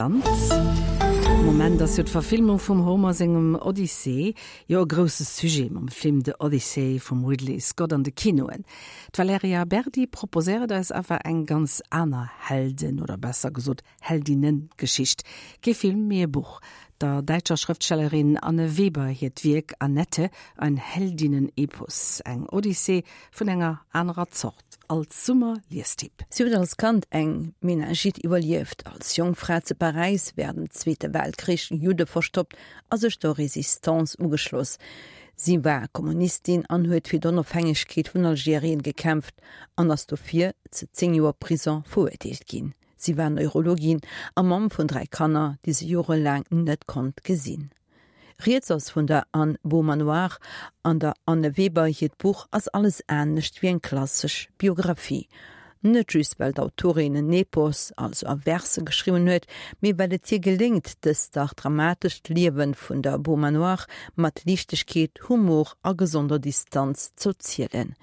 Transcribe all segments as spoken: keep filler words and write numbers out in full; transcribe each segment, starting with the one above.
Am Moment ass jo d'Verfilmung vum Homer sengem Odyssee jo e grousse Sujet mam Film The Odyssey vum Ridley Scott an de Kinoen. D'Valerija Berdi proposéiert eis awer eng ganz aner Helden oder besser gesot Heldinnengeschicht. Kee Film, mee e Buch. Der däitscher Schrëftstellerin Anne Weber hiert Wierk Annette, ein Heldinnen-Epos, eng Odyssee vun enger anerer Zort als Summer-Liestipp. Si huet als Kand eng Meningite iwwerlieft, als jonk Fra zu Paräis wärend dem Zweete Weltkrich Judde verstoppt a sech der Resistance ugeschloss. Si war Kommunistin an huet fir d'Onofhängegkeet vun Algerien gekämpft an ass dofir zu zéng Joer Prison verurteelt ginn. Si war Neurologin a Mamm vun dräi Kanner, déi si jorelaang net konnt gesinn. Rieds ass vun der Anne Beaumanoir an der Anne Weber hiert Buch ass alles anescht wéi eng klassesch Biografie. Net just well d'Autorin en Epos, also a Verse geschriwwen huet, mee well et hir geléngt, dëst dach dramatescht Liewe vun der Beaumanoir mat Liichtegkeet, Humor a gesonder Distanz ze erzielen.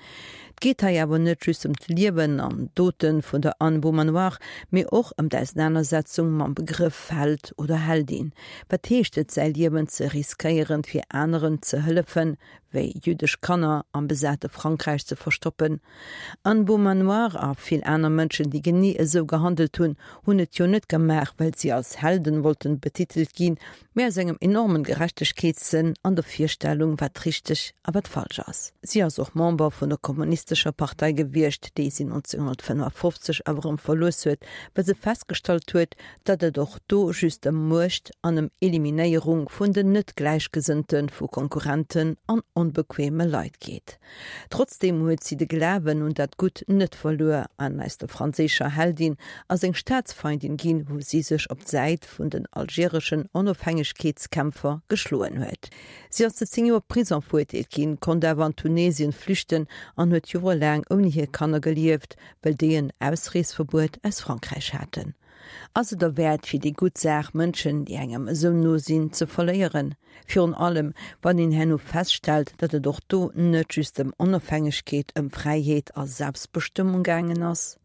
Et geet hei awer net just ëm d'Liewen an Dote vun der Anne Beaumanoir, mee och ëm d'Ausenanersetzung mam Begrëff Held oder Heldin. Wat heescht et säi Liewen ze riskéieren fir aneren ze hëllefen, wéi jüddesch Kanner am besate Frankräich ze verstoppen? Anne Beaumanoir a vill aner Mënschen, déi genee esou gehandelt hunn, hunn et jo net gemaach, well si als Helden wollten betitelt ginn, mee aus engem enormen Gerechtegkeetssënn an der Virstellung, wat richteg a wat falsch ass. Si ass och Member vun der Kommunistescher Partei gewiescht, déi si neunzehnhundertfënnefundfofzeg awer erëm verlooss huet, well se festgestallt huet, datt et och do just ëm Muecht an ëm Eliminéierung vun den net Gläichgesënnten, vu Konkurrenten an onbequeme Leit geet. Trotzdeem huet si de Glawen un dat Gutt net verluer an aus der franséischer Heldin ass eng Staatsfeindin ginn, wou si sech op d'Säit vun den algereschen Onofhängegkeetskämpfer geschloen huet. Si ass zu zéng Joer Prison verurteelt ginn, konnt awer an Tunesien flüchten an huet jorelaang ouni hir Kanner gelieft, well déi en Ausreesverbuet aus Frankräich haten. Ass et derwäert fir déi gutt Saach Mënschen, déi engem esou no sinn, ze verléieren? Virun allem, wann een herno feststellt, datt et och do net just ëm Onofhängegkeet, ëm Fräiheet a Selbstbestëmmung gaangen ass?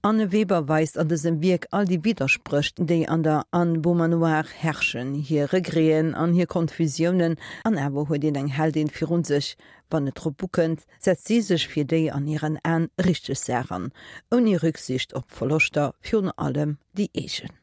Anne Weber weist an dësem Wierk all déi Widderspréch, déi an der Anne Beaumanoir herrschen, hir Regreten an hir Konfusiounen, an awer huet een eng Heldin virun sech. Wann et drop ukënnt, setzt si sech fir déi an hiren Aen richteg Saach an, ouni Rücksicht op Verloschter, virun allem déi eegen.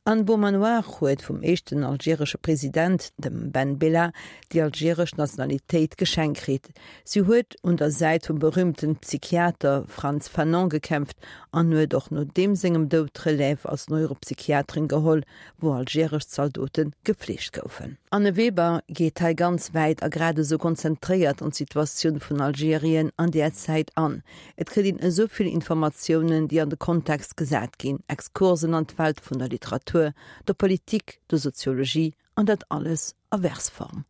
Anne Beaumanoir huet vum éischten algeresche President, dem Ben Bella, déi algeresch Nationalitéit geschenkt kritt. Si huet un der Säit vum berüümte Psychiater Frantz Fanon gekämpft an huet och no deem sengem Doud d'Relève als Neuropsychiaterin geholl, wou algeresch Zaldote gefleegt goufen. Anne Weber geet hei ganz wäit a grad esou konzentréiert an d'Situatioun vun Algerien an där Zäit an. Et kritt een esou vill Informatiounen, déi an de Kontext gesat ginn, Exkursen an d'Welt vun der Literatur, der Politik, der Soziologie an dat alles a Versform.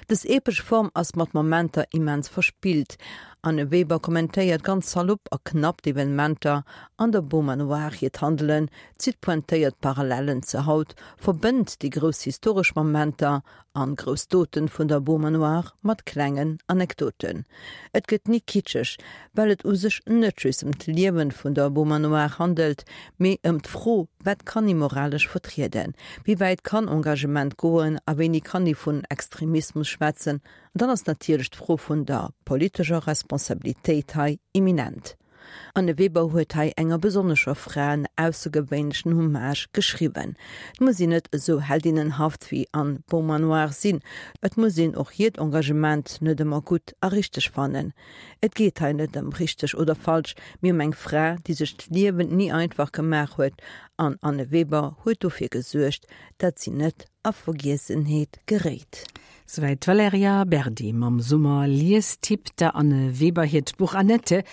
Dës epesch Form ass mat Momenter immens verspillt. Anne Weber kommentéiert ganz salopp a knapp d'Evenementer an der Beaumanoir hiert Handelen, zitt pointéiert Parallellen zu haut, verbënnt déi grouss historesch Momenter an grouss Doten vun der Beaumanoir mat klengen Anekdoten. Et gëtt ni kitscheg, well et u sech net just ëm d'Liewen vun der Beaumanoir handelt, mee ëm d'Fro, wat kann ee moralesch vertrieden? Wéi wäit kann Engagement goen a wéini kann ee vun Extremismus schwätzen? An dann ass natierlech d'Fro vun der politescher Responsabilitéit hei imminent. Anne Weber huet hei enger besonnescher Fra en aussergewéinlechen Hommage geschriwwen. Et muss een net esou heldinnenhaft wéi Anne Beaumanoir sinn. Et muss een och hiert Engagement net ëmmer gutt a richteg fannen. Et geet hei net ëm richteg oder falsch, mee ëm eng Fra, déi sech d'Liewen ni einfach gemaach huet, an Anne Weber huet dofir gesuergt, datt si net a Vergiessenheet geréit. Souwäit d'Valerija Berdi mam Summer-Liestipp, der Anne Weber hiert Buch Annette,